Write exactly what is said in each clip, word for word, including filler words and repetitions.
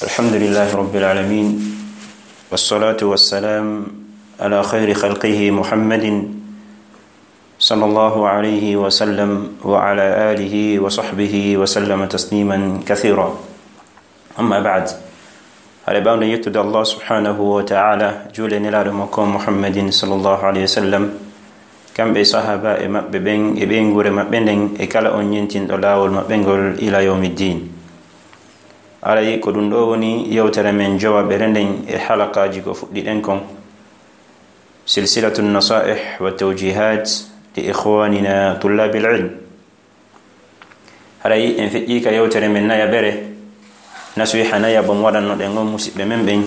الحمد لله رب العالمين، والصلاة والسلام على خير خلقه محمد صلى الله عليه وسلم وعلى آله وصحبه وسلم تسليما كثيرا. أما بعد، على بعد يتدى الله سبحانه وتعالى جول نلال مكوم محمد صلى الله عليه وسلم، كم بي صحابة مببين إبين غور مببين إكالا أنينتين دلاول مببين غول إلى يوم الدين. Aray ko ɗum ɗo woni yewtere men jowaɓere nden e halakaaji ko fuɗɗiɗen kon, silsilatu nasaih wa tawjihat li ikhwanina tullabil ilm. Haray en feƴƴi ka yewtere men nayaɓere, nasiha nayaɓo mo waɗannoɗen on musiɓɓe men ɓen,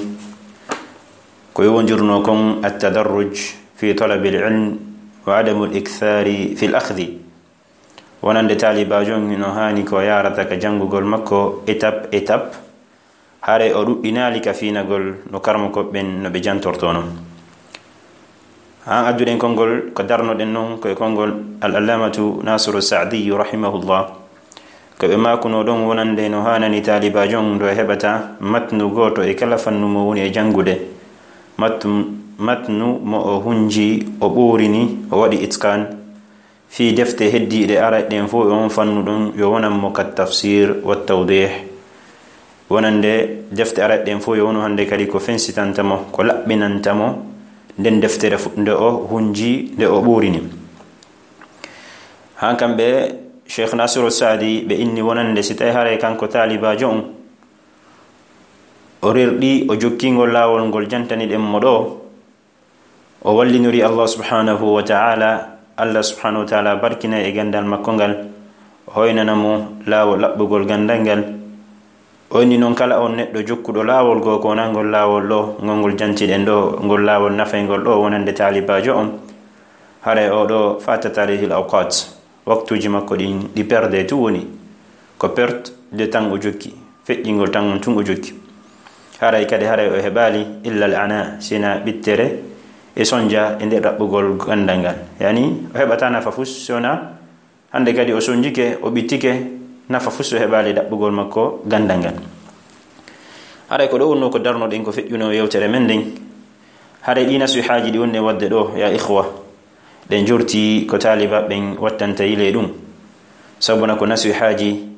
ko yowondirno kon attadarruj fi talabil ilm wa adamul ikthari fil akhdi. Wonande taalibaajo on hino haani ko yaarata ka janngugol makko étape étape, haray o ɗuɗɗinaali ka fiinagol no karmokooɓe ɓen no ɓe jantortoo non. Haa adduɗen konngol ko darnoɗen non ko e konngol Al-Allamatu Nasiru Sa'diyu rahimahullah, ko ɓe maakunoo ɗon wonande no haanani taalibaajo on ɗo heɓata matnu gooto e kala fannu mo woni e janngude, matnu, matnu mo o hunji, o ɓoorini, o waɗi itqaan, fii defte heddiiɗe arayɗe ɗen fow e on fannu ɗon yo wonan mo ka tafsir wa tawdih. Wonande defte arayɗe ɗen fow yo wonu hannde kadi ko fensitanta mo, ko laɓɓinanta mo nden deftere fu-, nde o hunji, nde o ɓoorini. Haa kamɓe Cheikh Nasiru Saadi ɓe inni wonande si tawi haray kanko taalibaajo on o rerɗi, o jokki ngol laawol ngol jantaniɗen mo ɗo, o wallinori Allah subhanahu wa ta'ala, Allah subhanahu wa ta'ala barkina e ganndal makko ngal, o hoynana mo laawol laɓɓugol ganndal ngal. O inni non kala on neɗɗo jokkuɗo laawol goo ko wonaa ngol laawol ɗo, ngol ngol jantiɗen ɗo, ngol laawol nafayngol ɗo wonande taalibaajo on, haray o ɗo fatata alayhil awqat. Waktuuji makko ɗin ɗi perde tun woni. Ko perte de temps o jokki. Feƴƴingol temps on tun o jokki. Haray kadi haray o heɓaali illa al ana, sina ɓittere e sonja e nder ɗaɓɓugol ganndal ngal. Yani, o heɓata nafa fus, si wonaa hannde kadi o sonjike, o ɓittike, nafa fus o heɓaali ɗaɓɓugol makko ganndal ngal. Haray ko ɗo wonno ko darnoɗen ko feƴƴuno yewtere men nden. Haray ɗi nasihaaji ɗi wonno waɗde ɗo, ya ikhwa, ɗen jorti ko taalibaaɓe ɓen wattanta yile ɗum. Sabuna ko nasihaaji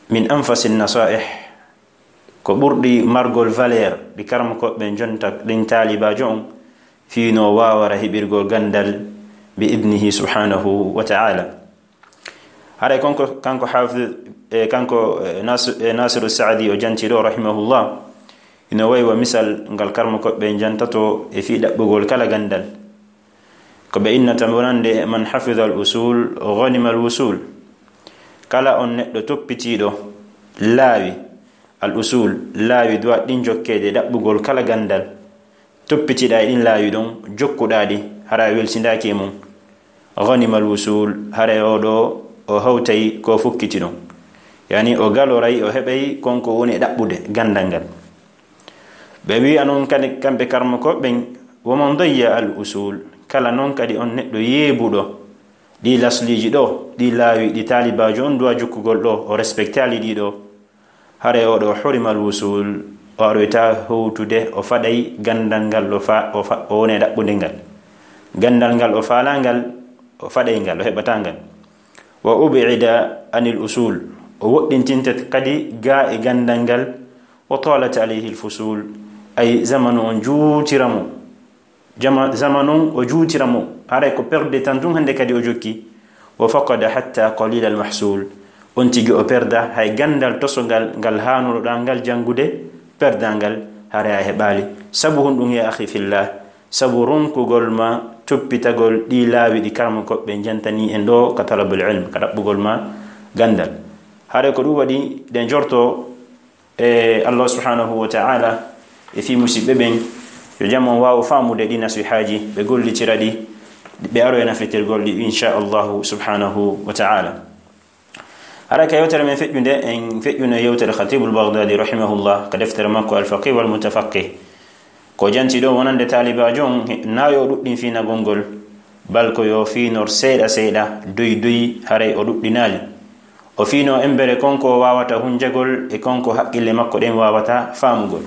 min anfasi nasaih, ko ɓurɗi margol valeur ɗi karmokooɓe ɓen jonta ɗin taalibaajo on, fii no waawara heɓirgol ganndal bi idnihi subhanahu wa ta'ala. Haray konko, kanko Hafiz, e kanko, e Nas-, e Nasiru Saadi o janti ɗo, rahimahullah, ino wayi wa misal ngal karmokooɓe ɓen jantato e fii ɗaɓɓugol kala ganndal. Ko ɓe innata wonande, man hafida al usul, ghanima al wusul. Kala on neɗɗo toppitiiɗo laawi, al usul, laawi duwa ɗin jokkeede ɗaɓɓugol kala ganndal, toppitiɗa e ɗin laawi ɗon, jokkuɗa ɗi, hara a welsindaaki e mum. Ghanima al wusul, haray o ɗo o hawtay ko fukkiti ɗon. Yani o galoray, o heɓay kon ko woni e ɗaɓɓude ganndal ngal. Ɓe wi'a non kadi kamɓe karmokooɓe ɓen, wa man dayya al usul, kala non kadi on neɗɗo yeebuɗo ɗi lasliiji ɗo, ɗi laawi ɗi taalibaajo on duwa jokkugol ɗo, o respectaali ɗi ɗo, haray o ɗo hurima al wusul, o aroyta howtude, o faɗay ganndal ngal, o fa-, o fa-, o wona e ɗaɓɓude ngal. Ganndal ngal o faalaa ngal, o faɗay ngal, o heɓataa ngal. Wa ub'ida anil usul, o woɗɗintinte kadi gaa e ganndal ngal, wa talat alayhi al fusul, ay zamanu on juutira mo. Jama-, zamanu on o juutira mo, haray ko perde tan tun hannde kadi o jokki. Wa faqada hatta qalil al mahsul, on tigi o perda hay ganndal tosongal ngal haanuɗo ɗaa ngal janngude, perda ngal, haray a heɓaali. Sabu honɗum, ya akhi fillah? Sabu ronkugol ma toppitagol ɗi laawi ɗi karmokooɓe ɓen jantani en ɗo ka talabul ilm, ka ɗaɓɓugol ma ganndal. Haray ko ɗum waɗi ɗen jorto e Allah subhanahu wa ta'ala e fii musiɓɓe ɓen, yo jam on waawu faamude ɗi nasihaaji, ɓe gollitira ɗi, ɓe aroya nafitirgol ɗi, insha Allahu subhanahu wa ta'ala. Haray ka yewtere men feƴƴunde, en feƴƴuno e yewtere Khatibul Baghdadi rahimahullah ka deftere makko Al Faqih wal Mutafaqih. Ko janti ɗo wonande taalibaajo on, he-, naa yo o ɗuɗɗin fiinagol ngol, bal ko yo fiinor seeɗa seeɗa, doy doy, haray o ɗuɗɗinaali. O fiino embere kon ko waawata hunjagol e kon ko haqqille makko ɗen waawata faamugol.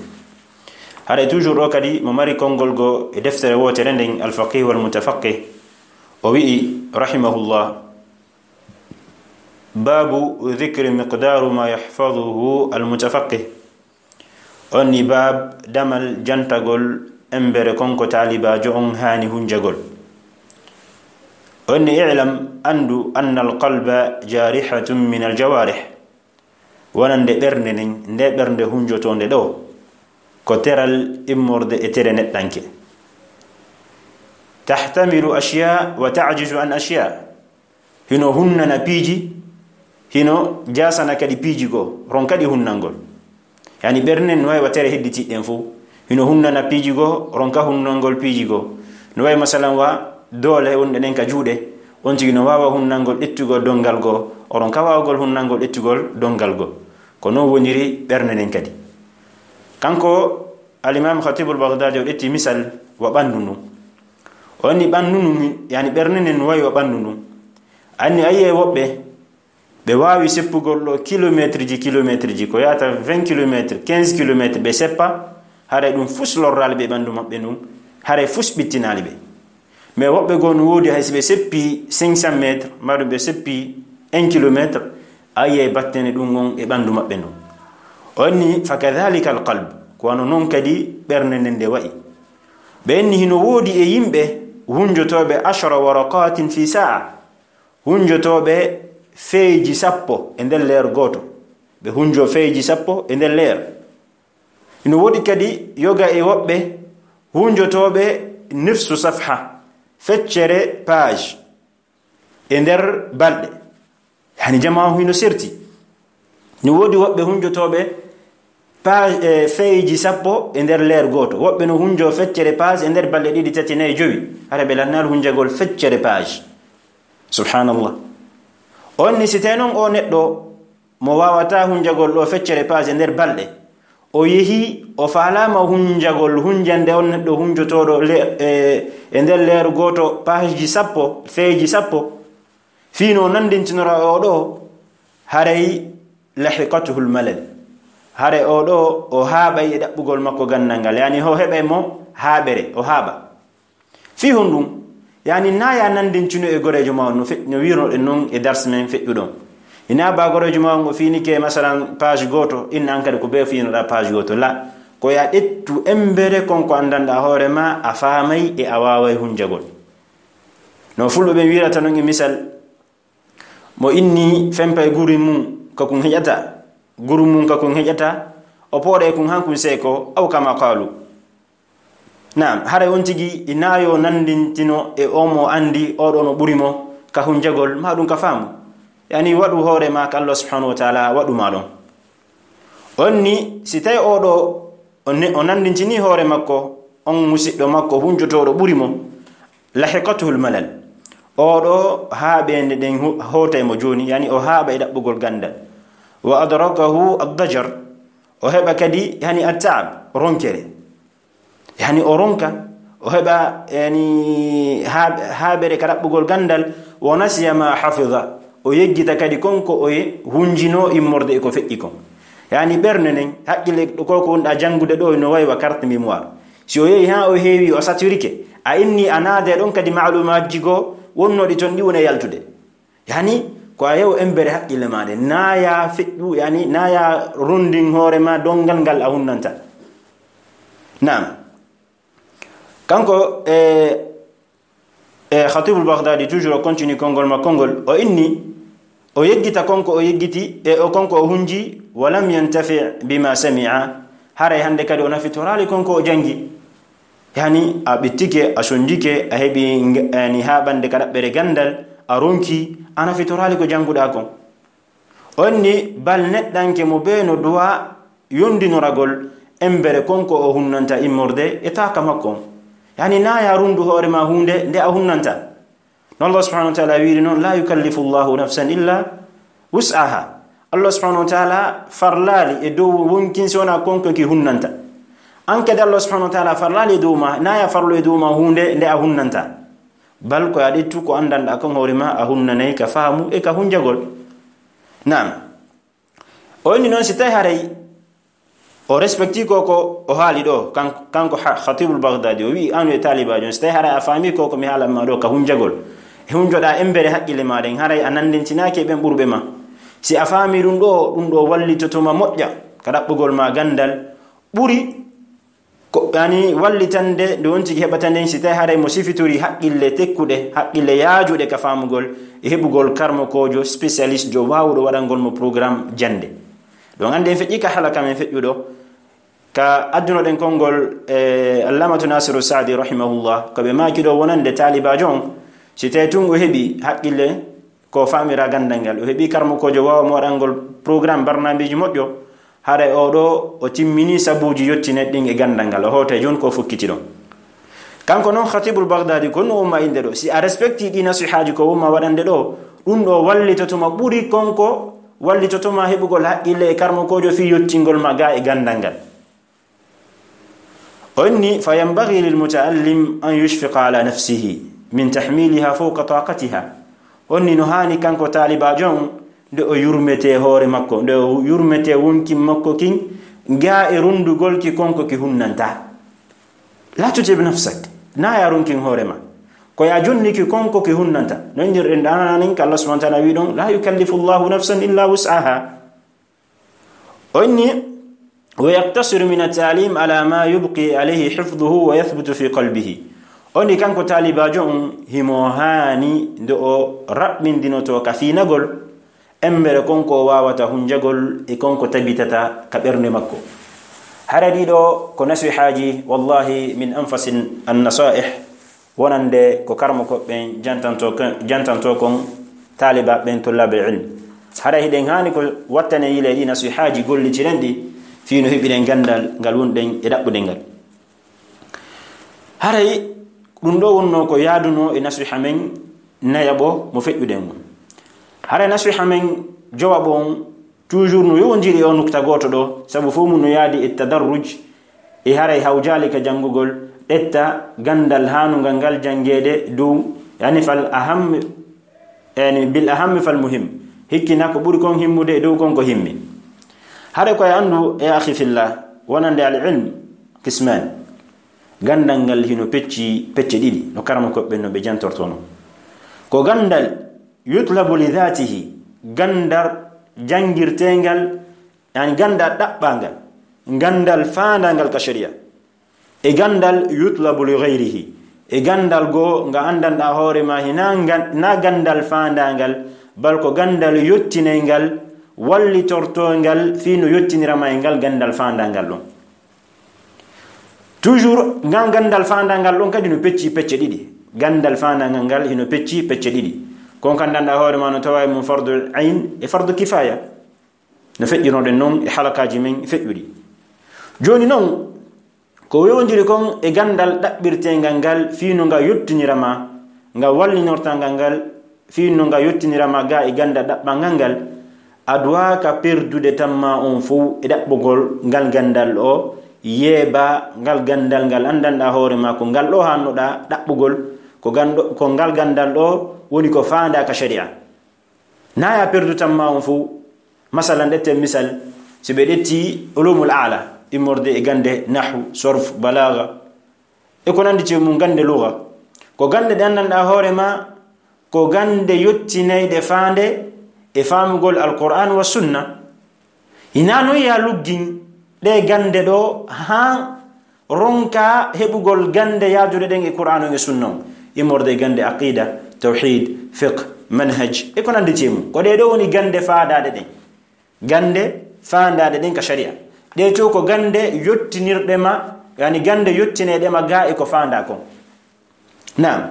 Haray toujours ɗo kadi mo mari konngol go e deftere wootere nden, Al-Faqih wal Mutafaqih, o wi'i, rahimahullah, babu dhikri miqdaru ma yahfazuhu al-mutafaqih. On ni baab damal jantagol embere kon ko taalibaajo on haani hunjagol. On ni, i'lam, anndu, anna al-qalba jarihatun min al-jawarih. Wonande ɓernde nden, nde ɓernde hunjotoonde ɗo, ko teral immorde e tere neɗɗanke. Tahtamilu ashya wa ta'jizu an ashya. Hino hunnana piiji, hino jaasana kadi piiji goo, ronka ɗi hunnangol. Yani ɓernen no wawi wa tere hedditiɗɗen fof. Hino hunnana piiji goo, ronka hunnangol piiji goo. No wawi masalan wa doole wonɗe ɗen ka juuɗe, on tigi no wawa hunnangol ƴettugol donngal goo, o ronka wawgol hunnangol ƴettugol donngal goo. Ko non woniri ɓerne nden kadi. Kanko Al-Imam Khatibul Baghdadi o ƴetti misal wa ɓanndu ndun. O anni ɓanndu ndun, yani ɓerne nden no wayi wa ɓanndu ndun. Anni ayi e woɓɓe, ɓe waawi seppugol ɗo kilometre ji, kilometre ji, ko yaata vingt kilomètres, quinze kilomètres, ɓe seppa, haray ɗum fus lorraali ɓe ɓanndu maɓɓe ndun, haray fus ɓittinaali ɓe. Mais woɓɓe goo no woodi, hay si ɓe seppi cinq cents mètres, maa ɗum ɓe seppi un kilomètre, a yiyay battane ɗum on e ɓanndu maɓɓe ndun. O anni, fa kadhalika al qalb, ko wano non kadi ɓernde nden nde wa'i. Ɓe anni hino woodi e yimɓe hunjotooɓe ashara waraqatin fi sa'a, hunjotooɓe feeji sappo e nder leer gooto. Ɓe hunjo feeji sappo e nder leer. Ino woodi kadi yoga e woɓɓe hunjotooɓe nifsu safha, feccere page, e nder balɗe. Yani jamaa hino serti. No woodi woɓɓe hunjotooɓe page, e feeji sappo e nder leer gooto. Woɓɓe no hunjo feccere page e nder balɗe ɗiɗi, tati, nayi, jowi. Hara ɓe lannaali hunjagol feccere page. Subhanallah. On ni si tawi non o neɗɗo mo waawata hunjagol ɗo feccere page e nder balɗe, o yehi, o faalaama hunjagol, hunjande on neɗɗo hunjotooɗo le-, e, e nder leer gooto page ji sappo, feeji sappo, fii no nandintinora o ɗo, haray lahiqatuhul malal. Haray o ɗo, o haaɓay e ɗaɓɓugol makko ganndal ngal. Yani, o heɓay mo haaɓere, o haaɓa. Fii honɗum? Yani, na ya nandincino e goreejo ma on no fe-, no wiirnoɗen non e dars men feƴƴuɗo on. Ina ba goreejo ma on o fiinike, masalan, page gooto, inna an kadi ko bee fiinoɗa page gooto. La, ko ya ƴettu embere kon ko anndanɗa hoore ma, a faamay e a waaway hunjagol. No fulɓe ɓen wiirata non e misal, mo inni fempay guri mum, ka kun heƴata, guru mum ka kun heƴata, o pooɗay kun han kun seeko, aw kama qaalu. Naam, haray on tigi ina yo nandintino e o mo andi, o ɗo no ɓuri mo ka hunjagol, ma ɗum ka faamu. Yani, waɗu hoore ma ka Allah subhanahu wa ta'ala, waɗu ma ɗon. On ni, si tawi o ɗo, o ne-, o nandintini hoore makko, on musiɗɗo makko hunjotooɗo ɓuri mo, lahiqatuhul malal. O ɗo haaɓeende ɗen hu-, hootay mo jooni, yani o haaɓa e ɗaɓɓugol ganndal. Wa adrakahu ad-dajar. O heɓa kadi, yani, at-ta'ab, ronkere. Yani o ronka, o heɓa, yani, haa-, haaɓere ka ɗaɓɓugol ganndal, wa nasiya ma hafiza, o yeggita kadi kon ko o ye-, hunjino immorde e ko feƴƴi kon. Yani ɓernde nden, haqqille ko, ko wonɗa janngude ɗo no wayi wa carte mémoire. Si o yehi haa o heewi, o saturike, a inni a naade ɗon kadi maalumaji goo wonnoɗi ton ɗi wona yaltude. Yani, ko a yew embere haqqille ma ɗen, na ya feƴƴu, yani, na ya rundin hoore ma donngal ngal a hunnanta. Naam. Kanko, e, e, Khatibul Baghdadi, toujours o continue konngol makko ngol, o inni, o yeggita kon ko o yeggiti, e o kon ko o hunji, wa lam yantafi bima sami'a, haray hannde kadi o nafitoraali kon ko o janngi. Yani, a ɓittike, a sonjike, a heɓi nge-, yani, haaɓande ka ɗaɓɓere ganndal, a ronki, a nafitoraali ko jannguɗaa kon. On ni, bal neɗɗanke mo bee no duwa yondinoragol embere kon ko o hunnanta immorde e taaka makko on. Yani, na ya rundu hoore ma huunde nde a hunnanta. No Allah subhanahu wa ta'ala wiiri non, "La yukallifu Allahu nafsan illa wus'aha." Allah subhanahu wa ta'ala farlaali e dow wonkin si wona kon ko ki hunnanta. An kadi Allah subhanahu wa ta'ala farlaali e dow ma, na ya farlu e dow ma huunde nde a hunnanta. Bal ko a ƴettu ko anndanɗa kon hoore ma, a hunnanay ka faamu e ka hunjagol. Naam. O inni noon, si tawi haray o respecti ko ko o haali ɗo, kan-, kanko ha-, Khatibul Baghdadi, o wi'i, "An e taalibaajo on, si tawi haray a faami ko ko mi haalan ma ɗo ka hunjagol, e hunjoɗaa embere haqqille ma ɗen, haray a nandintinaaki e ɓen ɓurɓe ma. Si a faami ɗum ɗo, ɗum ɗo wallitoto ma moƴƴa ka ɗaɓɓugol ma gandal ɓuri ko, yani, wallitande nde on tigi heɓata nden, si tawi haray mo sifitori haqqille tekkuɗe, haqqille yaajuɗe ka faamugol, e heɓugol karmokoojo, spécialiste, jo waawuɗo waɗangol mo programme jannde." Ɗon annde en feƴƴi ka halaka men feƴƴuɗo, ka addunoɗen konngol, e, Allamatu Nasiru Saadi rahimahullah, ko ɓe maaki ɗo wonande taalibaajo on, si tawi tun o heɓi haqqille, ko faamira gandal ngal, o heɓi karmokoojo waawa mo waɗangol programme, barnaamiji moƴƴo, haray o ɗo o timmini sabuuji yottinayɗi ɗin e gandal ngal, o hootay jooni ko fokkiti ɗon. Kanko non Khatibul Baghdadi, ko no umma innde ɗo, si a respecti ɗi nasihaaji ko umma waɗande ɗo, ɗum ɗo wallitoto ma ɓuri konko, wallitoto ma heɓugol haqqille e karmokoojo fii yottingol ma ga e gandal ngal. O inni, "Fa yanbaghi lil muta'allim an yushfiqa ala nafsihi min tahmiliha fawqa taqatiha." O inni, no haani kanko taalibaajo on, nde o yurmetee hoore makko, nde o yurmetee wonkin makko kin, ga e rundugol ki konko ki hunnanta. La tutib nafsak, na ya runkin hoore ma. Ko ya jonni ki konko ki hunnanta. No inndirɗen ɗaananan ka Allah subhanahu wa ta'ala wi ɗon, "La yukallifu Allahu nafsan illa wus'aha." O inni, "Wa yaqtasiru min at-ta'lim ala ma yubqi alayhi hifdhuhu wa yathbutu fi qalbihi." O inni kanko taalibaajo on, himo haani nde o raɓɓindinoto ka fiinagol, embere konko o waawata hunjagol e konko tabitata ka ɓernde makko. Hara ɗiɗo ko nasihaaji, wallahi, min anfasin an-nasaih. Wonande ko karmokooɓe ɓen jantanto kon, jantanto kon taalibaaɓe ɓen, tullaabe ilm. Haray hiɗen haani ko wattanen yila e ɗi nasihaaji, gollitiren ɗi, fii no heɓiren gandal ngal wonɗen e ɗaɓɓude ngal. Haray ɗum ɗo wonnoo ko yaadunoo e nasiha men nayaɓo mo feƴƴuɗen on. Haray nasiha men jowaɓo on toujours no yowondiri e o nukta gooto ɗo, sabu fof mum no yaadi e tadarruj, e haray hawjaali ka janngugol, ɗetta ganndal haanungal ngal janngeede dow, yani fal aham, yani bil aham fal muhim. Hikkina ko ɓuri kon himmude e dow kon ko himmi. Haray ko e anndu, e akhi fillah, wonande al ilm qisman. Ganndal ngal hino pecci pecce ɗiɗi, no karamokooɓe ɓen no ɓe jantortono. Ko ganndal yutlabu li dhatihi, ganndal janngirteengal, yani ganndal ɗaɓɓaangal, ganndal faandaangal ka sharia. E ganndal yutlabu li ghayrihi, e ganndal goo nga anndanɗaa hoore ma, hinaa ngan-, na ganndal faandaangal, bal ko ganndal yottinay ngal, wallitortoo ngal fii no yottinira ma e ngal ganndal faandaangal ɗon. Toujours, ngal ganndal faandaangal ɗon kadi no pecci pecce ɗiɗi. Ganndal faandaangal ngal hino pecci pecce ɗiɗi. Kon ka anndanɗaa hoore ma no tawa e mum fardu ayn e fardu kifaya. No feƴƴunoɗen non e halakaaji men feƴƴuɗi. Jooni non, ko wewondiri kon e ganndal ɗaɓɓirteengal ngal fii no nga yottinira ma, nga wallinorta ngal ngal, fii no nga yottinira ma ga e ganndal ɗaɓɓangal ngal, a duwaaka perdude tamma on fow e ɗaɓɓugol ngal ganndal ɗo, yeeba ngal ganndal ngal anndanɗaa hoore ma ko ngal ɗo hannoɗaa ɗaɓɓugol, ko ganndo-, ko ngal ganndal ɗo woni ko faandaa ka sharia. Na ya perdu tamma on fow. Masalan, ɗetten misal, si ɓe ɗetti ulumul aala, immorde e gannde nahwu, sorf, balaaga, e ko nanndi e mum, gannde lugha. Ko gannde ɗe anndanɗaa hoore ma, ko gannde yottinayɗe faande e faamugol Alqur'aan wa sunna. Hinaa non ya luggin ɗe gannde ɗo haa ronka heɓugol gannde yaaduɗe ɗen e Qur'aan on e Sunna on, immorde e gannde aqida, tawhid, fiqh, manhaj, e ko nanndi e mum. Ko ɗee ɗoo woni gannde faandaaɗe ɗen. Gannde faandaaɗe ɗen ka sharia. Ɗee to ko gannde yottinirɗe ma, yani gannde yottinayɗe ma ga e ko faandaa kon. Naam.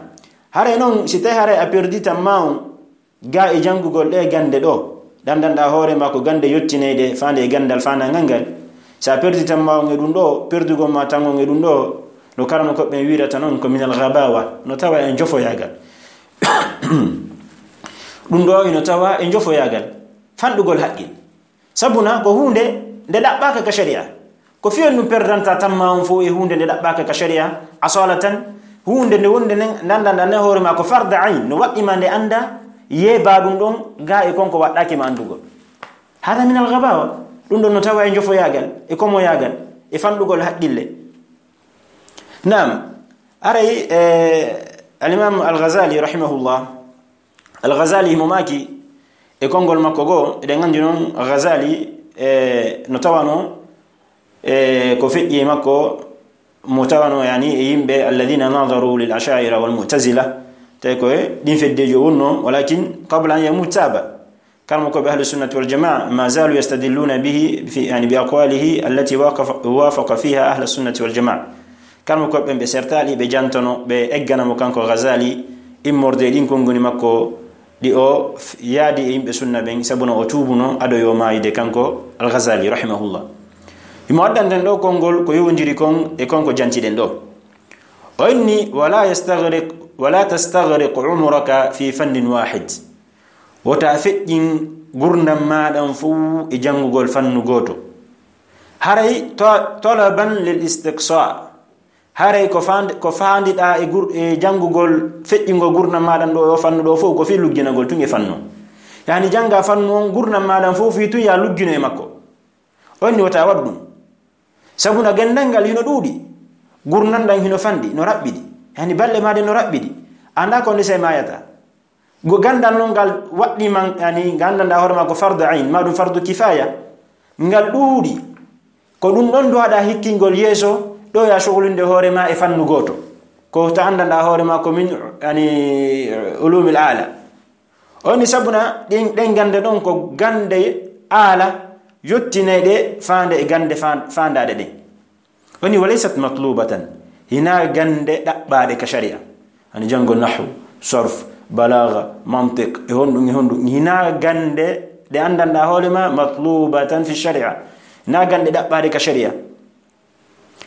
Haray non, si tawi haray a perdi tamma on, ga e janngugol ɗee gannde ɗo, ɗandanɗaa hoore ma ko gannde yottineyɗe faande e ganndal faandangal ngal. Si a perdi tamma on e ɗum ɗo, perdugol ma tan on e ɗum ɗo, no karamokooɓe ɓen wiirata non ko minal ghabawa, no tawa e njofoyaagal. Ɗum ɗo ino tawa e njofoyaagal, fanɗugol haqqil. Sabuna ko huunde nde ɗaɓɓaaka ka sharia. Ko fii honɗum perdanta tamma on fow e huunde nde ɗaɓɓaaka ka sharia? Asalatan, huunde nde wonde nden, nanndanɗaa nden hoore ma ko farda ayn, no waɗɗi ma nde annda, yeeba ɗum ɗon, ga e kon ko waɗɗaaki ma anndugol. Hada min al-ghabawa. Ɗum ɗon no tawa e njofoyaagal, e komoyaagal, e fanɗugol haqqille. Naam, aray, eh, al-Imam al-Ghazali rahimahullah, al-Ghazali himo maaki e konngol makko goo, eɗen anndi noon Ghazali, eh, no tawano, eh, ko feƴƴi e makko, mo tawano, yani, e yimɓe alladhina nadaru lil asha'ira wal mu'tazila, tawi ko e ɗin feddeeji o wonno, walakin qabla an yamut taba. Karmo ko ɓe ahlu sunnati wal jamaa, ma zalu yastadilluna bihi fi, yani, bi aqwalihi allati waqafa, wafaqa fiha ahla sunnati wal jamaa. Karmo ko ɓen ɓe sertaali, ɓe jantono, ɓe eggana mo kanko Ghazali immorde e ɗin konngoni makko ɗi o f-, yaadi e yimɓe sunna ɓen, sabu no o tuubuno ado yo maayde kanko al-Ghazali rahimahullah. Himo addanten ɗo konngol ko yowondiri kon e kon ko jantiɗen ɗo. O inni, "Wala yastaghriq, wala tastaghriq umraka fi fannin wahid." Wota feƴƴin gurdam maaɗan fow e janngugol fannu gooto. Haray to-, talaban lil istiqsa. Haray ko fand-, ko faandiɗaa e gur-, e janngugol, feƴƴingol gurdam maaɗan ɗo e o fannu ɗo fow, ko fii lugginagol tun e fannu. Yani jannga fannu on, gurdam maaɗan fow fii tun ya luggino e makko. On ni wota waɗu ɗum. Sabu na ganndal ngal hino ɗuuɗi, gurdam ɗan hino fanɗi, no raɓɓiɗi. Yani balɗe maaɗe no raɓɓiɗi. Annda ko ndese maayata. Go ganndal non ngal waɗɗii ma, yani, ngal anndanɗaa hoore ma ko fardu ayn, ma ɗum fardu kifaya. Ngal ɗuuɗi. Ko ɗum ɗon duwaɗaa hikkingol yeeso, ɗo ya sogolinde hoore ma e fannu gooto. Ko ta anndanɗaa hoore ma ko min, yani, ulumil ala. On ni sabuna ɗin, ɗen gannde ɗon ko gannde ala, yottinayɗe faande e gannde fa-, faandaaɗe ɗen. Oni walaysat matlubatan, hinaa gannde ɗaɓɓaaɗe ka sharia. Ani janngo nahwu, sarf, balaaga, mantiq, e honɗum, e honɗum. Hinaa gannde ɗe anndanɗaa hoore ma matlubatan fi sharia. Hinaa gannde ɗaɓɓaaɗe ka sharia.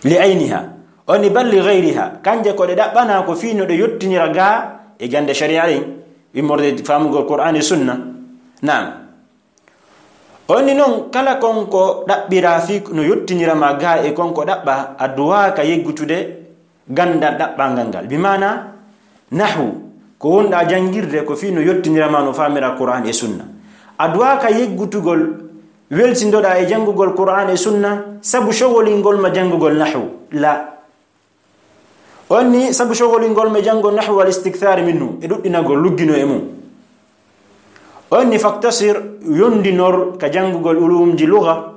Li ayniha. Oni bal li ghayriha. Kanje ko ɗe ɗaɓɓanaa ko fii no ɗe yottinira gaa e gannde sharia ɗen. Immorde faamugol Qur'an e sunna. Naam. Onni non, kala kon ko ɗaɓɓiraa fii no yottinira ma gaa e kon ko ɗaɓɓaa, a duwaaka yeggutude ganndal ɗaɓɓaangal ngal. Bi maana, nahwu, ko wonɗaa janngirde ko fii no yottinira ma no faamira Qur'an e sunna. A duwaaka yeggutugol, welsindoɗaa e janngugol Qur'an e sunna, sabu sogolingol ma janngugol nahwu. La. On ni sabu sogolingol ma janngo nahwu wal istikthar minhu, e ɗuɗɗinagol luggino e mum. On ni faktasir, yondinor ka janngugol ulumji lugha,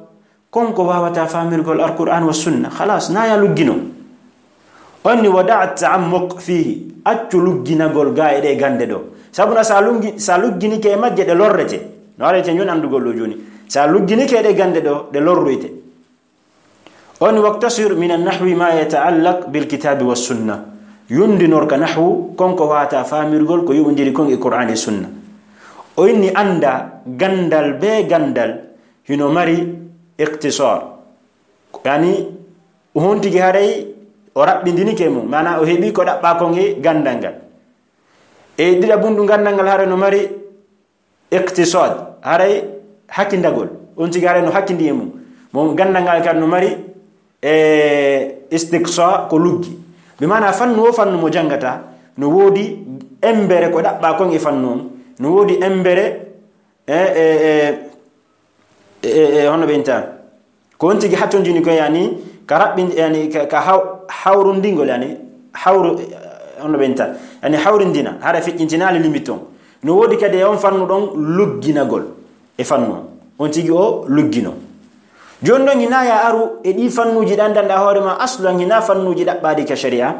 kon ko waawata faamirgol Alqur'an wa sunna. Khalas, na ya luggino. On ni wada'a ta'ammuq fihi, accu lugginagol gaa e ɗe gannde ɗo. Sabu na sa lungi-, sa lugginike e majje ɗe lorrete. No arete njon anndugol ɗo jooni. Sa lugginike e ɗe gannde ɗo, ɗe lorroyte. On waktasir min an-nahwi ma yata'allaq bil kitabi was sunna. Yondinor ka nahwu, kon ko waata faamirgol ko yoɓondiri kon e Qur'an e sunna. O inni annda ganndal be ganndal hino mari iqtisar. Yani, hontigi haray o raɓɓindinike mum, maana o heɓi ko ɗaɓɓa kon e ganndal ngal. E ɗiɗaɓundu ganndal ngal haray no mari iqtisad, haray hakkindagol. On tigi haray no hakkindi e mum. Mo ganndal ngal kadi no mari, e, istiqsa ko luggi. Bi maana fannu o fannu mo janngata, no woodi embere ko ɗaɓɓa kon e fannu on. No woodi embere, e, e, e, e, e, hono ɓe inta. Ko on tigi hattondini ko yani, ka raɓɓin-, yani, ka, ka haw-, hawrundingol, yani, hawru-, eh, hono ɓe inta. Yani, hawrindina, hara feƴƴintinaali limite on. No woodi kadi e on fannu ɗon lugginagol e fannu on. On tigi o luggino. Jooni ɗon, hinaa ya aru e ɗi fannuuji ɗi anndanɗaa hoore ma, aslan hinaa fannuuji ɗaɓɓaaɗi ka sharia,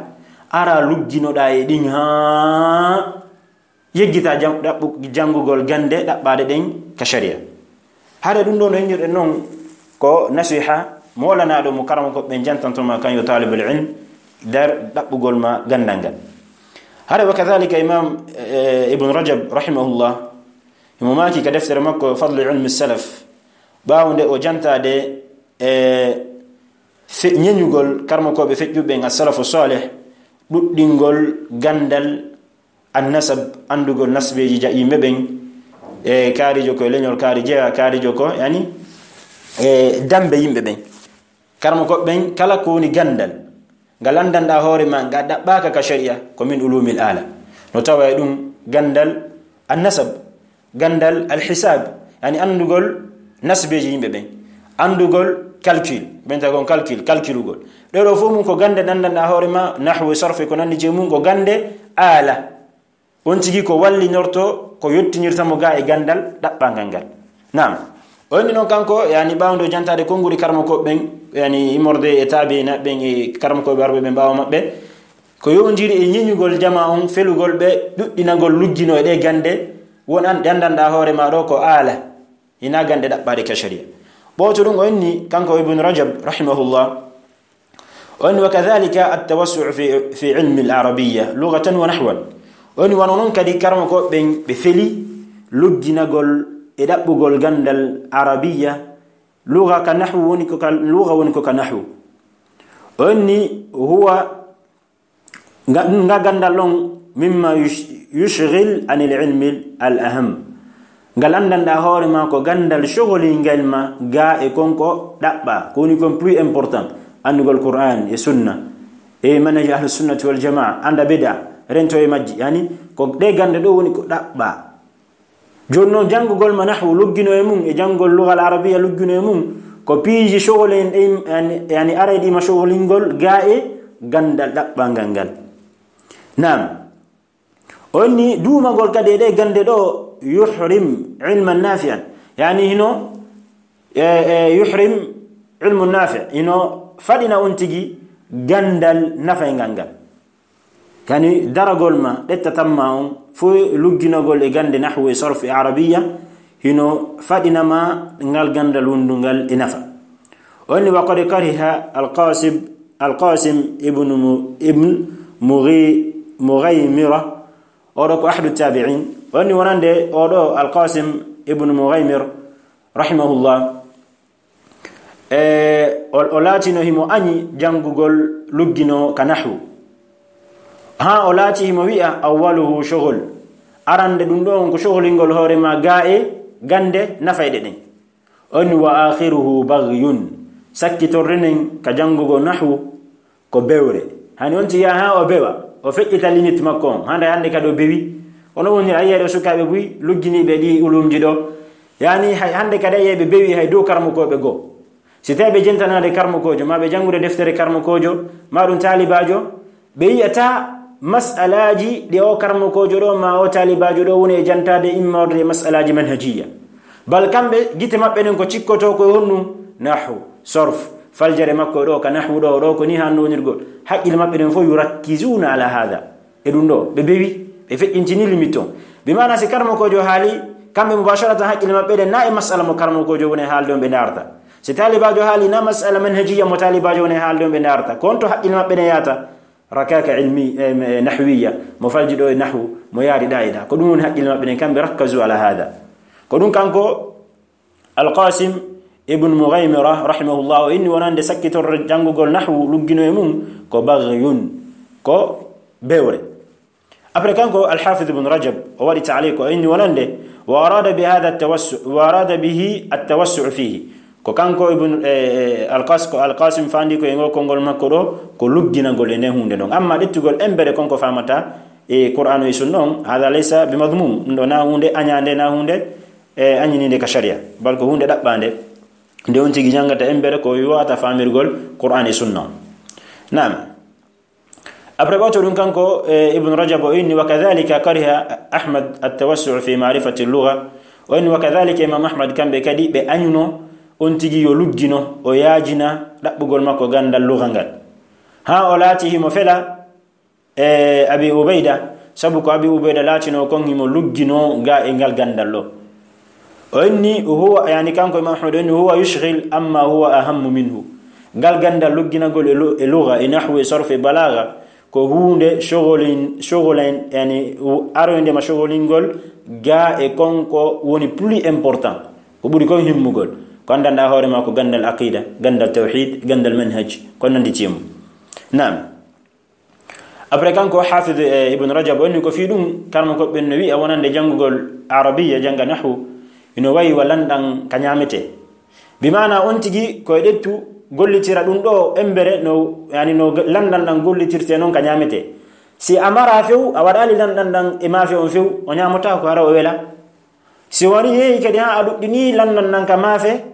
ara lugginoɗaa e ɗin haa yeggita jam-, ɗaɓɓu-, janngugol gannde ɗaɓɓaaɗe ɗen ka sharia. Hare ɗum ɗo no innirɗen non ko nasiha moolanaaɗo mo karamoko ɓen jantantoma kan yo taalibul ilm nder ɗaɓɓugol ma ganndal ngal. Hare wa kadhalika Imam, eh, Ibn Rajab rahimahullah, himo maaki ka deftere makko Fadlu Ilmi Salaf, ɓaawo nde o jantaade e fe-, ñeñugol karmokooɓe feƴƴuɓe ɓen as-salafu salih, ɗuɗɗingol ganndal annasab, anndugol nasbeeji ja-, yimɓe ɓen, e kaarijo ko e leñol kaari jeya, kaarijo ko, yani, e dambe yimɓe ɓen. Karmokooɓe ɓen, kala ko woni ganndal, ngal anndanɗaa hoore ma, ngal ɗaɓɓaaka ka sharia, ko min ulumil ala. No tawa e ɗum ganndal annasab, ganndal alhisab, yani anndugol nasbeeji yimɓe ɓen. Anndugol calcul, ɓen tawi kon calcul, calculugol. Ɗee ɗoo fof mum ko gannde ɗanndanɗaa hoore ma, nahwu, sarfu, ko nanndi e mum, ko gannde aala. On tigi ko wallinorto, ko yottinirta mo gaa e ganndal ɗaɓɓangal ngal. Naam. O inni noon kanko, yani, ɓaawnde o jantaade konnguɗi karamokooɓe ɓen, yani, immorde e taabiina ɓen e karamokooɓe arɓe ɓen ɓaawo maɓɓe, ko yowndiri e ñiñugol jamaa on, felugol ɓe, ɗuɗɗinagol luggino e ɗee gannde, won an ɗanndanɗaa hoore ma ɗoo ko aala, hinaa gannde ɗaɓɓaaɗe ka sharia. Ɓooto ɗum o inni, kanko Ibn Rajab, rahimahullah, o inni, "Wa kadhalika at-tawassu'u fi, fi ilmi al-arabiyya lughatan wa nahwan." O inni, wano non kadi karamokooɓe ɓen ɓe feli lugginagol e ɗaɓɓugol ganndal arabiyya, lugha ka nahwu woni ko ka, lugha woni ko ka nahwu. O inni, huwa Nga, nga ganndal ɗon, mimma yush-, yushghil anil ilmi al aham. Ngal anndanɗaa hoore ma ko ganndal shogolingal ma gaa e kon ko ɗaɓɓaa, ko woni kon plus important, anndugol Qur'an e Sunna, e manhaj Ahlus Sunnati wal Jamaa, annda bid'a, rento e majji, yani, ko ɗee gannde ɗoo woni ko ɗaɓɓaa. Jooni noon, janngugol ma nahwu luggino e mum, e janngol lugal arabiya luggino e mum, ko piiji shogol en ɗin, yani, yani arayɗi ma shogolingol gaa e ganndal ɗaɓɓangal ngal. Naam. O inni duumagol kadi e ɗee gannde ɗoo, yuhrim ilman nafi'an. Yani hino, e, e, yuhrim ilmun nafi', hino faɗina on tigi ganndal nafayngal ngal. Yani, daragol ma, ɗettatam ma on, fof lugginagol e gannde nahwu e sarfu e arabiya, hino faɗina ma ngal ganndal wondungal e nafa. O inni, wa qad kariha Al-Qasim, Al-Qasim ibn Mu-, ibn Mughi-, Mughaymira, oɗo ko ahadu tabi'in. O inni wonande oɗo Al-Qasim ibn Mughaymir, rahimahullah, E, o, o laatino himo añi janngugol luggino ka nahwu. Haa o laati himo wi'a, "Awwaluhu shughul." Arande ɗum ɗon ko shughlingol hoore ma gaa e gannde nafayɗe ɗen. On, "Wa akhiruhu baghyun." Sakkitorɗen ka janngugol nahwu, ko bewre. Hani on tigi yaha haa o bewa, o feƴƴita limite makko on. Hande hande kadi o bewi. Kono woni a yi'ay ɗo sukaaɓe buy lugginiiɓe ɗi ulumji ɗo. Yani hay hande kadi a yi'ay ɓe bewi hay dow karmokooɓe goo. Si tawi ɓe jentanaade karmokoojo, ma ɓe janngude deftere karmokoojo, ma ɗum taalibaajo, ɓe yi'ata mas'alaaji ɗi o karmokoojo ɗo, ma o taalibaajo ɗo woni e jantaade immorde e mas'alaaji manhajiyya. Bal kamɓe, gite maɓɓe ɗen ko cikkotoo ko e honɗum? Nahwu, sorf, faljere makko ɗo ka nahwu ɗo, ɗo ko ni hanno wonirgol. Haqqille maɓɓe ɗen fof, yurakkizuna ala hada. E ɗum ɗo, ɓe bewi, ɓe feƴƴintini limite on. Bi maana si karmokoojo haali, kamɓe mubasharatan haqqille maɓɓe ɗen na e mas'ala mo karmokoojo woni e haalde on ɓe ndaarta. Si taalibaajo haali na mas'ala manhajiyya mo taalibaajo woni e haalde on ɓe ndaarta. Ko on to haqqille maɓɓe ɗen yaata? Rakaka ilmi, eh, eh, nahwiyya, mo falji ɗo e nahwu, mo yaari ɗa e ɗa. Ko ɗum woni haqqille maɓɓe ɗen, kamɓe rakkazu ala hada. Ko ɗum kanko Al-Qasim ibn Mughaymira, rahimahullah, o inni wonande sakkitorre janngugol nahwu luggino e mum ko baghyun, ko bewre. Après kanko Al-Hafiz ibn Rajab, o waɗi ta'liq, o inni wonande, wa arada bi hadha at-tawassu-, wa arada bihi at-tawassu' fihi. Ko kanko Ibn, eh, eh, Al-Qas-, ko Al-Qasim fandi ko e ngol konngol makko ɗo, ko lugginagol e nden huunde ɗon. Amma ƴettugol embere kon ko famata e Qur'aanu e Sunna on, hada laysa bi madhmum. Ɗum ɗo na huunde añaande, na huunde, eh, añininde ka sharia. Bal ko huunde ɗaɓɓaande. Nde on tigi janngata embere ko wi'ata famirgol Qur'aan e Sunna on. Naam. Après ɓawto ɗum kanko, eh, Ibn Rajab o inni, "Wa kadhalika kariha Ahmad at-tawassu' fi ma'rifati al-lugha." O inni, "Wa kadhalika Imam Ahmad kamɓe kadi ɓe añuno on tigi yo luggino, o yaajina ɗaɓɓugol makko ganndal lugha ngal. Haa o laati himo fela, e Abi Ubayda, sabu ko Abi Ubayda laatino kon himo luggino ga e ngal ganndal ɗo." O inni, huwa, yani kanko Imam Ahmad, o inni, "Huwa yushghil amma huwa ahammu minhu." Ngal ganndal lugginagol e lu-, e lugha, e nahwu, e sarf, e balagha, ko huunde shogolin-, shogolin, yani, u-, aroyde ma shogolingol ga e kon ko woni plus important, ko ɓuri kon himmugol. Ko anndanɗaa hoore ma ko ganndal aqida, ganndal tawhid, ganndal manhaj, ko nanndi e mum. Naam. Après kanko Hafiz, eh, Ibn Rajab, o inni ko fii ɗum, karmokooɓe ɓen no wi'a wonande janngugol Arabiya, jannga nahwu, ino wayi wa lanɗan ka ñaametee. Bi maana on tigi ko e ɗettu gollitira ɗum ɗo embere no, yani no lanɗan ɗan gollitirtee non ka ñaametee. Si a mara few, a waɗaali lanɗan ɗan e maafe on few, o ñaamotaako hara o wela. Si wari yehi kadi haa a luggini lanɗan nan ka maafe,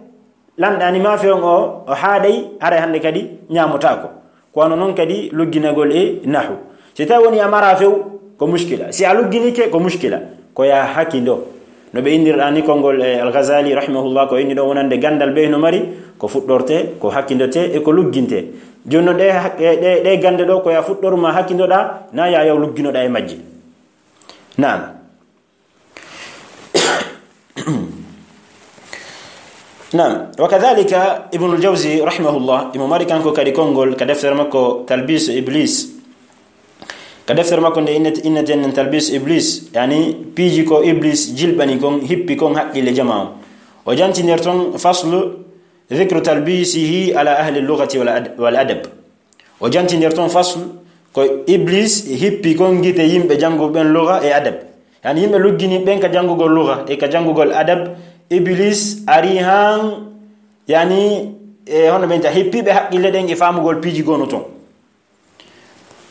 lanɗani maafe on o, o haaɗay, haray hannde kadi ñaamotaako. Ko wano non kadi lugginagol e nahu. Si tawi woni a mara few, ko muskila. Si a lugginike, ko muskila. Ko ya hakindo. No ɓe inndirɗa ni konngol e Al-Ghazali rahimahullah, ko inni ɗo wonande ganndal bee no mari, ko fuɗɗorte, ko hakindote, e ko lugginte. Jooni non ɗe hak-, ɗe, ɗe, ɗe gannde ɗo, ko ya fuɗɗorma hakindoɗa, na ya yaw lugginoɗa e majje. Naam. Naam, wa kadhalika Ibnul Jawzi rahimahullah, imo mari kanko kadi konngol ka deftere makko Talbis Iblis. Ka deftere makko nde innete-, inneten nen Talbis Iblis, yani piiji ko Iblis jilɓani kon, hippi kon haqqille jamaa on. O jantinir ton faslu dhikru talbisihi ala ahli lughati wal ad-, wal adab. O jantinir ton faslu ko Iblis hippi kon gite yimɓe jannguɓe ɓen lugha e adab. Yani yimɓe luggini ɓen ka janngugol lugha e ka janngugol adab, Iblis ari han, yani, e hono ɓen ta hippiiɓe haqqille ɗen e faamugol piiji gonu ton.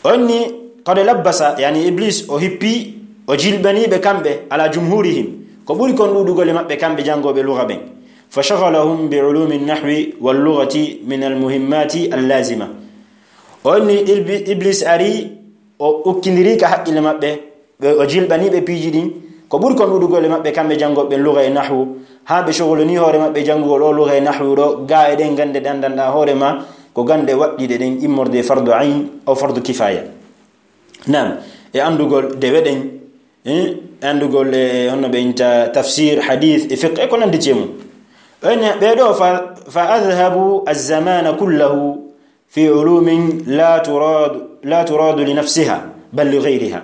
Onni, qad labbasa, yani Iblis o hippi, o jilɓaniiɓe kamɓe, ala jumhurihim, ko ɓuri kon ɗuuɗugol e maɓɓe kamɓe janngooɓe lugha ɓen. Fa shaghalahum bi ulumi nahwi wal lughati min al muhimmati al lazima. Onni Ilbi-, Iblis ari, o ukkindiri ka haqqille maɓɓe, ɓe, o jilɓani ɓe piiji ɗin. Ko ɓuri kon ɗuuɗugol e maɓɓe kamɓe janngooɓe lugha e nahwu, haa ɓe shogolini hoore maɓɓe janngugol o lugha e nahwu ɗo, gaa e ɗen gannde ɗe anndanɗaa hoore ma, ko gannde waɗɗiɗe ɗen immorde fardu ayn aw fardu kifaya. Naam, e anndugol dewe ɗen, eh, e anndugol, eh, honno ɓe innta tafsir, hadith, e fiqh, e ko nanndi e mum. Ɓen, ɓee ɗo fa, fa adhabu az-zamana kullahu fi ulumin la turadu, la turadu li nafsiha, bal li ghayriha.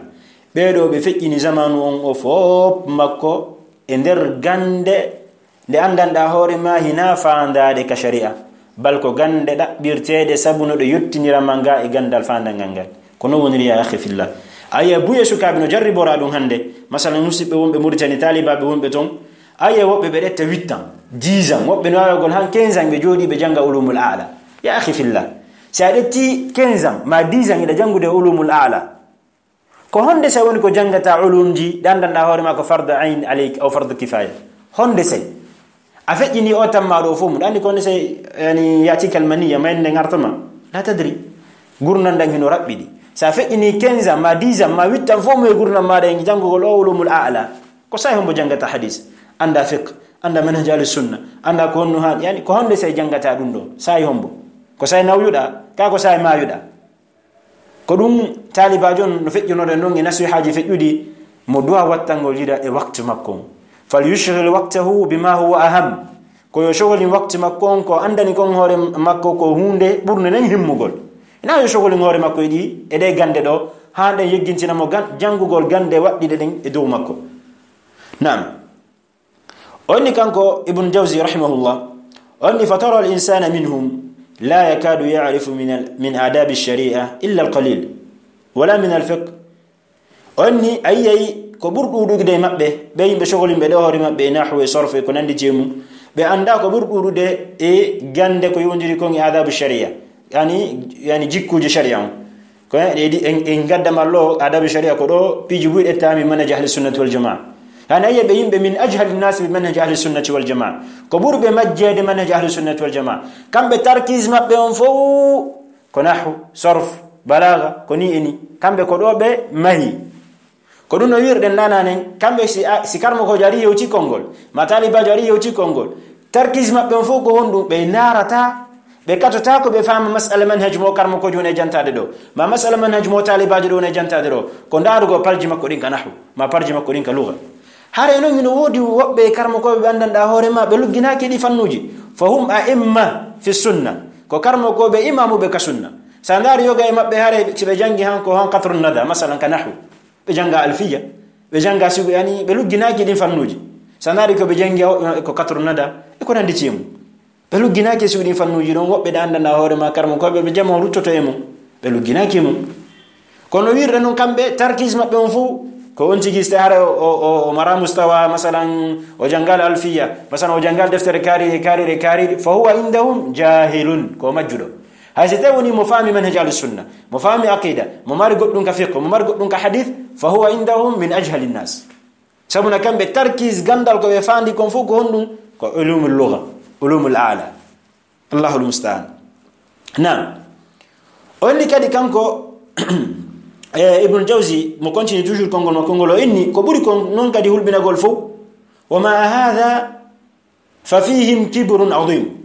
Ɓee ɗo ɓe feƴƴini zamanu on o fof makko e nder gannde nde anndanɗaa hoore ma hinaa faandaade ka shari'a, bal ko gannde ɗaɓɓirteeɗe sabu no ɗe yottinira ma nga e ganndal faandangal ngal. Ko non woniri, ya akhi fillah. Aye buye sukaaɓe no jarriboraa ɗum hannde. Masalan, musiɓɓe wonɓe Muritani, taalibaaɓe wonɓe ton, aye woɓɓe ɓe ɗetta huit ans, dix ans, woɓɓe no waawagol han quinze ans ɓe jooɗii ɓe jannga ulumul a'la. Ya akhi fillah, si a ɗetti quinze ans ma dix ans iɗa janngude ulumul a'la, ko honde sa woni ko janngata ulumji ɗe anndanɗaa hoore ma ko fardu ayn alayk aw fardu kifaya? Honde say a feƴƴini o tamma ɗo fof mum, ɗa anndi ko honde say, yani, yatikal maniya, mayde nde ngartoma, la tadri. Gurndan ɗan hino raɓɓiɗi. Sa feƴƴini quinze ans ma dix ans ma huit ans fof mum e gurndan maɗa e janngugol o ulumul a'la, ko say hombo janngata hadis, annda fiqh, annda manhaj ahli sunna, annda ko honno han, yani, ko honde say janngata ɗum ɗo, say hombo? Ko say nawyuɗa, ka ko say mayuɗa? Ko ɗum taalibaajo on no feƴƴunoɗen ɗon e nasihaaji feƴƴuɗi, mo duwa wattangol yida e waktu makko on. Fal yushghil waqtahu bima huwa aham. Ko yo shogolin waktu makko on ko anndani kon hoore makko ko huunde ɓurnde nden himmugol. Ina yo shogolin hoore makko e ɗi, e ɗe gannde ɗo, haa ɗen yeggintina mo gan-, janngugol gannde waɗɗiɗe ɗen e dow makko. Naam. Onni kanko Ibn Jawzi rahimahullah, onni, "Fatara al insana minhum la yakadu ya'rifu min al, min adabi shari'a illa al qalil, wala min al fiqh." Onni, a yiyay ko ɓuri ɗuuɗude e maɓɓe, ɓe yimɓe shogolimɓe ɗo hoore maɓɓe e nahwu e sorfu e ko nandi e mum, ɓe annda ko ɓuri ɗuuɗude e gannde ko yowndiri kon e adabu shari'a, yani, yani jikkuji shari'a on. Ko en, en, en, en gadda mallo adabu shari'a ko ɗo piiji buy ɗe taami manhaj ahli sunnati wal jamaa. Hana yiya ɓe yimɓe min ajhali nnasi bi manhaj ahli sunnati wal jamaa. Ko ɓuri ɓe majjeede manhaj ahli sunnati wal jamaa. Kamɓe tarkis maɓɓe on fof ko nahwu, sorf, balaaga, ko ni e ni. Kamɓe ko ɗo ɓe mahi. Ko ɗum no wiirɗen nananen, kamɓe si a, si karmokoojo ari yewti konngol, ma taalibaajo ari yewti konngol, tarkis maɓɓe on fof ko honɗum? Ɓe naarata, ɓe katota ko ɓe faama masala manhaj mo karmokoojo woni e jantaade ɗo, ma masala manhaj mo taalibaajo ɗo woni e jantaade ɗo, ko ndaarugol parji makko ɗin ka nahwu, ma parji makko ɗin ka lugha. Hare noon hino woodi woɓɓe e karmokooɓe ɓe anndanɗaa hoore ma, ɓe lugginaaki ɗi fannuuji. Fa hum a'imma fi sunna, ko karmokooɓe imaamuɓe ka sunna. Sa ndaari yoga e maɓɓe hare, si ɓe janngi han ko han Qatrun Nada, masalan ka nahwu. Ɓe jannga Alfiya, ɓe jannga sigo, yani, ɓe lugginaaki ɗin fannuuji. Sa ndaari ko ɓe janngi o, ko Qatrun Nada, e ko nandi e mum. Ɓe lugginaaki e sigo ɗin fannuuji ɗon, woɓɓe ɗe anndanɗaa hoore ma, karmokooɓe ɓe jama ruttoto e mum. Ɓe lugginaaki e mum. Kono wirɗe non kamɓe, tarkis maɓɓe on fof, ko on tigi, si hara o, o, o, o mara mustawa, masalan, o janngal Alfiya, masalan, o janngal deftere kaariɗe, kaariɗe, kaariɗe, fa huwa indahum jahilun, ko majjuɗo. Hay so tawi woni mo faami manhaj ahli sunna, mo faami aqida, mo mari goɗɗum ka fiqh, mo mari goɗɗum ka hadith, fa huwa indahum min ajhali nnas. Sabuna kamɓe tarkis ganndal ko ɓe faandi kon fof ko honɗum? Ko ulumul lugha, ulumul ala. Allahul musta'an. Naam. O inni kadi kanko, e, Ibnul Jawzi, mo continue toujours konngol makko ngol, o inni, ko ɓuri kon noon kadi hulɓinagol fof, wa ma hadha fa fihim kibrun azim.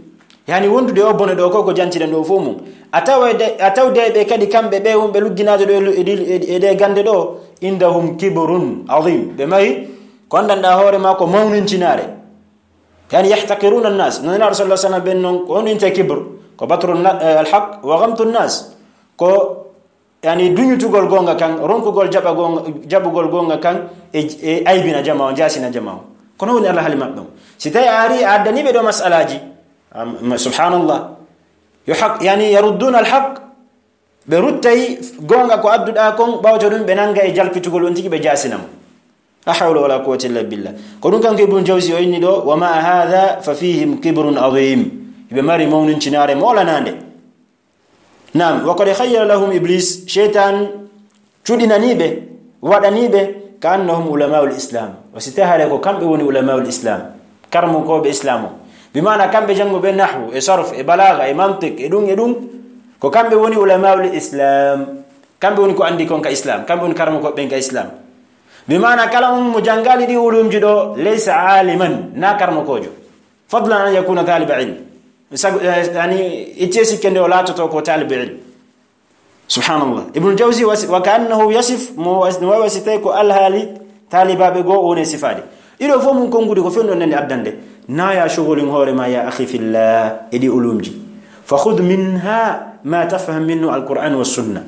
Yani wondude o bone ɗo ko, ko jantiɗen ɗo fof mum. A tawa e de, a tawde ɓe kadi kamɓe ɓe wonɓe lugginaade ɗo e lu-, e ɗi, e, e ɗe gannde ɗo, indahum kibrun azim. Ɓe mari ko anndanɗaa hoore ma ko mawnincinaare. Yani yahtaqiruna an-nas. No Nulaaɗo sallallahu alaihi wasallam ɓen noon, ko on inte kibr, ko batru na-, eh, al-haq wa ghamtu an-nas. Ko, yani, duñutugol goonga kan, ronkugol jaɓa goonga, jaɓugol goonga kan, e, e aybina jama o, jaasina jama o. Kono woni alhaali maɓɓe on. Si tawi a ari a addani ɓe ɗo mas'alaaji, am, subhanallah. Yo haq, yani yarudduna al-haq. Ɓe ruttay goonga ko adduɗaa kon, ɓawto ɗum ɓe nanga e jalkitugol on tigi ɓe jaasina mo. La hawla wala quwwata illa billah. Ko ɗum kanko Ibn Jawzi o inni ɗo, wa ma hadha fa fihim kibrun azim. Ɓe mari mawnincinaare moolanaande. Naam, wa qad khayyala lahum Iblis, sheytan cuɗinanii ɓe, waɗanii ɓe, ka annahum ulamaul Islam. O si tawi hare ko kamɓe woni ulamaul Islam, karmokooɓe Islam o. Bi maana kamɓe jannguɓe nahwu, e sarf, e balaaga, e mantiq, e ɗum, e ɗum. Ko kamɓe woni ulamaul Islam. Kamɓe woni ko anndi kon ka Islam. Kamɓe woni karmokooɓe ɓen ka Islam. Bi maana kala on mo janngaali ɗi ulumji ɗo, laysa aliman, na karmokoojo. Fadlan an yakuna taliba ilm. Sago, eh, yani, itte sikke nde o laatoto ko taliba ilm. Subhanallah. Ibnul Jawzi wasi, wa kaannahu yasif, mo was-, no wawi wasitay ko alhaali taalibaaɓe goo o woni sifaade. Ɗiɗo fof mum konnguɗi ko fewndo nande addande. Na ya shugulin hoore ma ya akhi fillah e ɗi ulumji. Fa khudh minha ma tafham minhu al-Qur'an wa sunna.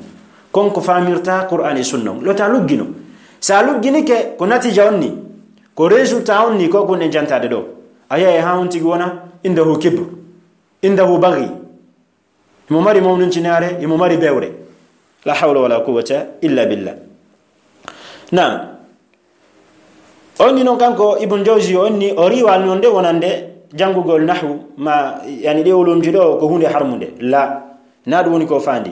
Kon ko faamirta Qur'an e sunna. Lo ta luggino. Sa lugginike ko natija on ni. Ko résultat on ni ko kun en jantaade ɗo. A yiyay haa on tigi wona indahu kibr. Indahu baghi. Imo mari mawnincinaare, imo mari bewre. La hawla wala quwwata illa billah. Naam. On ni noon kanko Ibn Jawzi on ni o riiwaali noon nde wonande janngugol nahwu ma, yani ɗe ulumji ɗo ko huunde harmunde. La, na ɗum woni ko faandi.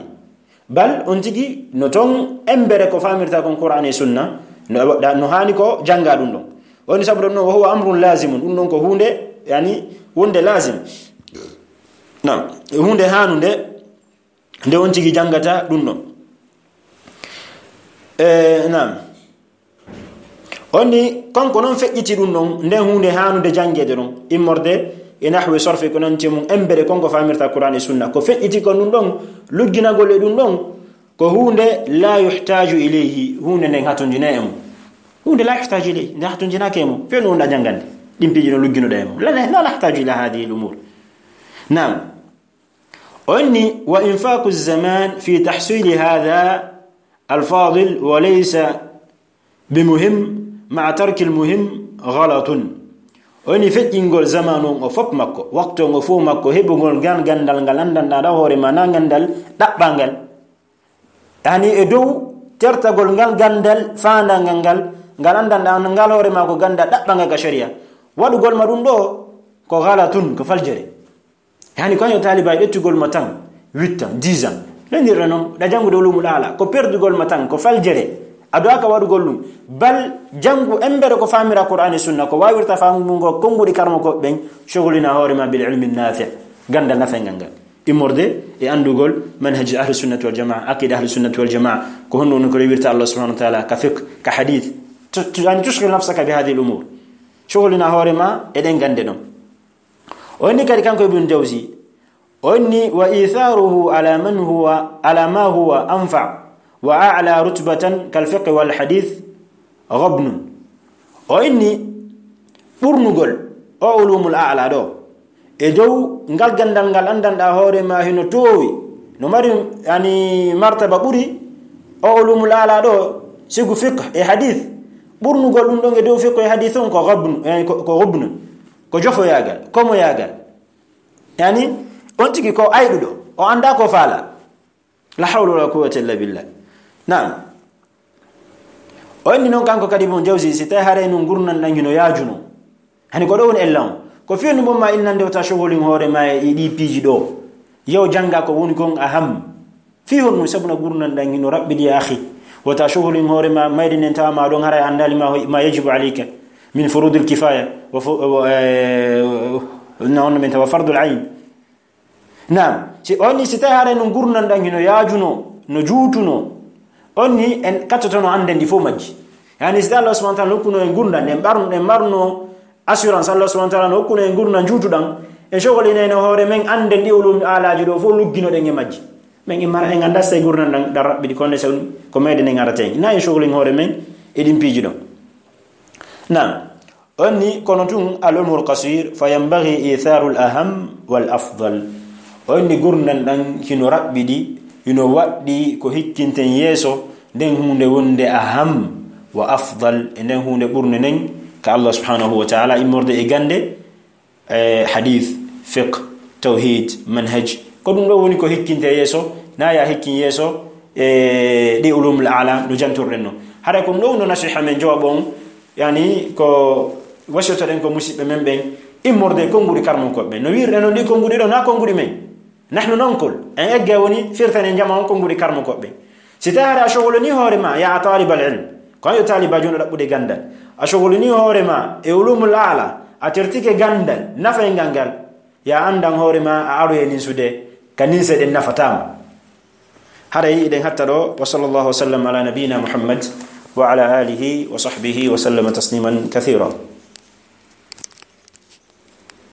Bal on tigi no toon embere ko faamirta kon Qur'an e Sunna, no, no haani ko jannga ɗum ɗon. On ni sabu ɗum ɗon, wa huwa amrun lazimun, ɗum ɗon ko huunde, yani, wonde lazim. Naam, huunde haanunde, nde on tigi janngata ɗum ɗon. E, naam. On ni, kanko noon feƴƴiti ɗum ɗon, nden huunde haanude janngeede ɗon, immorde e nahwi, sorfe, ko nanti e mum, embere kon ko faamirta Qur'an e Sunna. Ko feƴƴiti ko ɗum ɗon, lugginagol e ɗum ɗon, ko huunde la yuhtaju ilayhi, huunde nden hatonjinaa e mum. Huunde la yuhtaju ilayhi, nde hatonjinaaka e mum. Feewni wonɗa janngande ɗin piiji ɗon lugginoɗa e mum. La, la, la nahtaju ila hadihi al-umur. Naam. On ni, wa infaqu zaman fi tahsili hadha al-fadil wa laysa bi muhim ma'a tarki al-muhim ghalatun. On ni feƴƴingol zamanu on o fof makko, waktu on o fof makko, heɓugol ngal ganndal ngal anndanɗaa ɗa hoore ma, na ganndal ɗaɓɓangal. Yani e dow tertagol ngal ganndal faandangal ngal, ngal anndanɗaa ngal hoore ma ko ganndal ɗaɓɓangal ka sharia. Waɗugol ma ɗum ɗo ko ghalatun, ko faljere. Yani ko yo taalibaajo ƴettugol ma tan, huit ans, dix ans. Lenndirɗa noon, ɗa janngude ulumul ala, ko perdugol ma tan, ko faljere. A duwaaka waɗugol ɗum. Bal janngu embere ko faamira Qur'an e Sunna, ko waawirta faamu mum ngo, konnguɗi karmokooɓe ɓen, shugulina hoore ma bil ilmi nafi', ganndal nafayngal ngal. Immorde e anndugol manhaj ahli sunnati wal jamaa, aqida ahli sunnati wal jamaa, ko honno woni ko rewirta Allah subhanahu wa ta'ala, ka fiqh, ka hadith. Tu-, tu-, yani tushghil nafsaka bi hadhihi al umur. Shugulina hoore ma e ɗen gannde ɗon. O inni kadi kanko Ibn Jawzi, o inni, wa itharuhu ala man huwa, ala ma huwa anfa wa a'la rutbatan kal fiqh wal hadith ghabnun. O inni ɓurnugol o ulumul a'la ɗo e dow ngal ganndal ngal anndanɗaa hoore ma hino toowi, no mari, yani, martaba ɓuri o ulumul a'la ɗo, sigu fiqh e hadith. Ɓurnugol ɗum ɗon e dow fiqh e hadith on ko ghabnu, yani ko, ko ghabnu. Ko jofoyaagal, komoyaagal. Yani, on tigi ko ayɗuɗo, o anndaa ko faala. La hawla wala quwwata illa billah. Naam. O inni noon kanko kadi Ibn Jawzi, si tawi haray noon ngurndan ɗan hino yaajuno. Hani ko ɗo woni ella on. Ko fii no mbon ma innande o ta shugulin hoore ma e ɗi piiji ɗo. Yo jannga ko woni kon aham. Fii honɗum? Sabu na ngurndan ɗan hino raɓɓiɗi ya akhi. Wota shugulin hoore ma, mayde nden tawa ma ɗon haray anndaali ma, ma yajibu alayka. Min furudil kifaya, wa fu-, wa, eh, no, on min tawa fardul ayn. Naam, si on ni si tawi haray no gurdam ɗam hino yaajuno, no juutuno, on ni en kattotono annden ɗi fof majji. Yani si tawi Allah subhanahu wa ta'ala hokkuno en gurdam, en ɓarno, en marno assurance, Allah subhanahu wa ta'ala no hokkuno en gurdam juutuɗam, en cogolinayno hoore men annden ɗi ulumul alaaji ɗo fof lugginoɗen e majji. Men en mara en annda si tawi gurdam ɗam, ɗam raɓɓiɗi, kono so ko meɗen en arata en. Na en cogolin hoore men e ɗin piiji ɗon. Naam. On ni, kono tun, al umrul qasir, fa yanbaghi itharul aham wal afdal. On ni gurdam ɗam hino raɓɓiɗi, hino waɗɗi ko hikkinten yeeso, nden huunde wonde aham wa afdal, e nden huunde ɓurnde nden ka Allah subhanahu wa ta'ala, immorde e gande, e hadith, fiqh, tawhid, manhaj. Ko ɗum ɗo woni ko hikkinte yeeso, na ya hikkin yeeso, e ɗi ulumul ala no janturɗen no. Haray ko ɗum ɗo woni nasiha men jooɓo on, yani ko wasiyotoɗen ko musiɓɓe men ɓen, immorde e konnguɗi karmankooɓe ɓen. No wiirɗen non ɗi konnguɗi ɗo, na konnguɗi men. Nahnu nanqul, en egge woni firtane jama on konnguɗi karmankooɓe ɓen. Si tawi a cogolini hoore ma, ya talibal ilm, ko an yo taalibaajo wonɗo ɗaɓɓude ganndal, a cogolini hoore ma e ulumul ala, a tertike ganndal nafayngal ngal, ya anndan hoore ma a aroye ninsude ka ninse ɗen nafataa ma. Haray eɗen hatta ɗo, wa sallallahu wa sallam ala nabiyina Muhammad wa ala alihi wa sahbihi wa sallama tasliman kathira.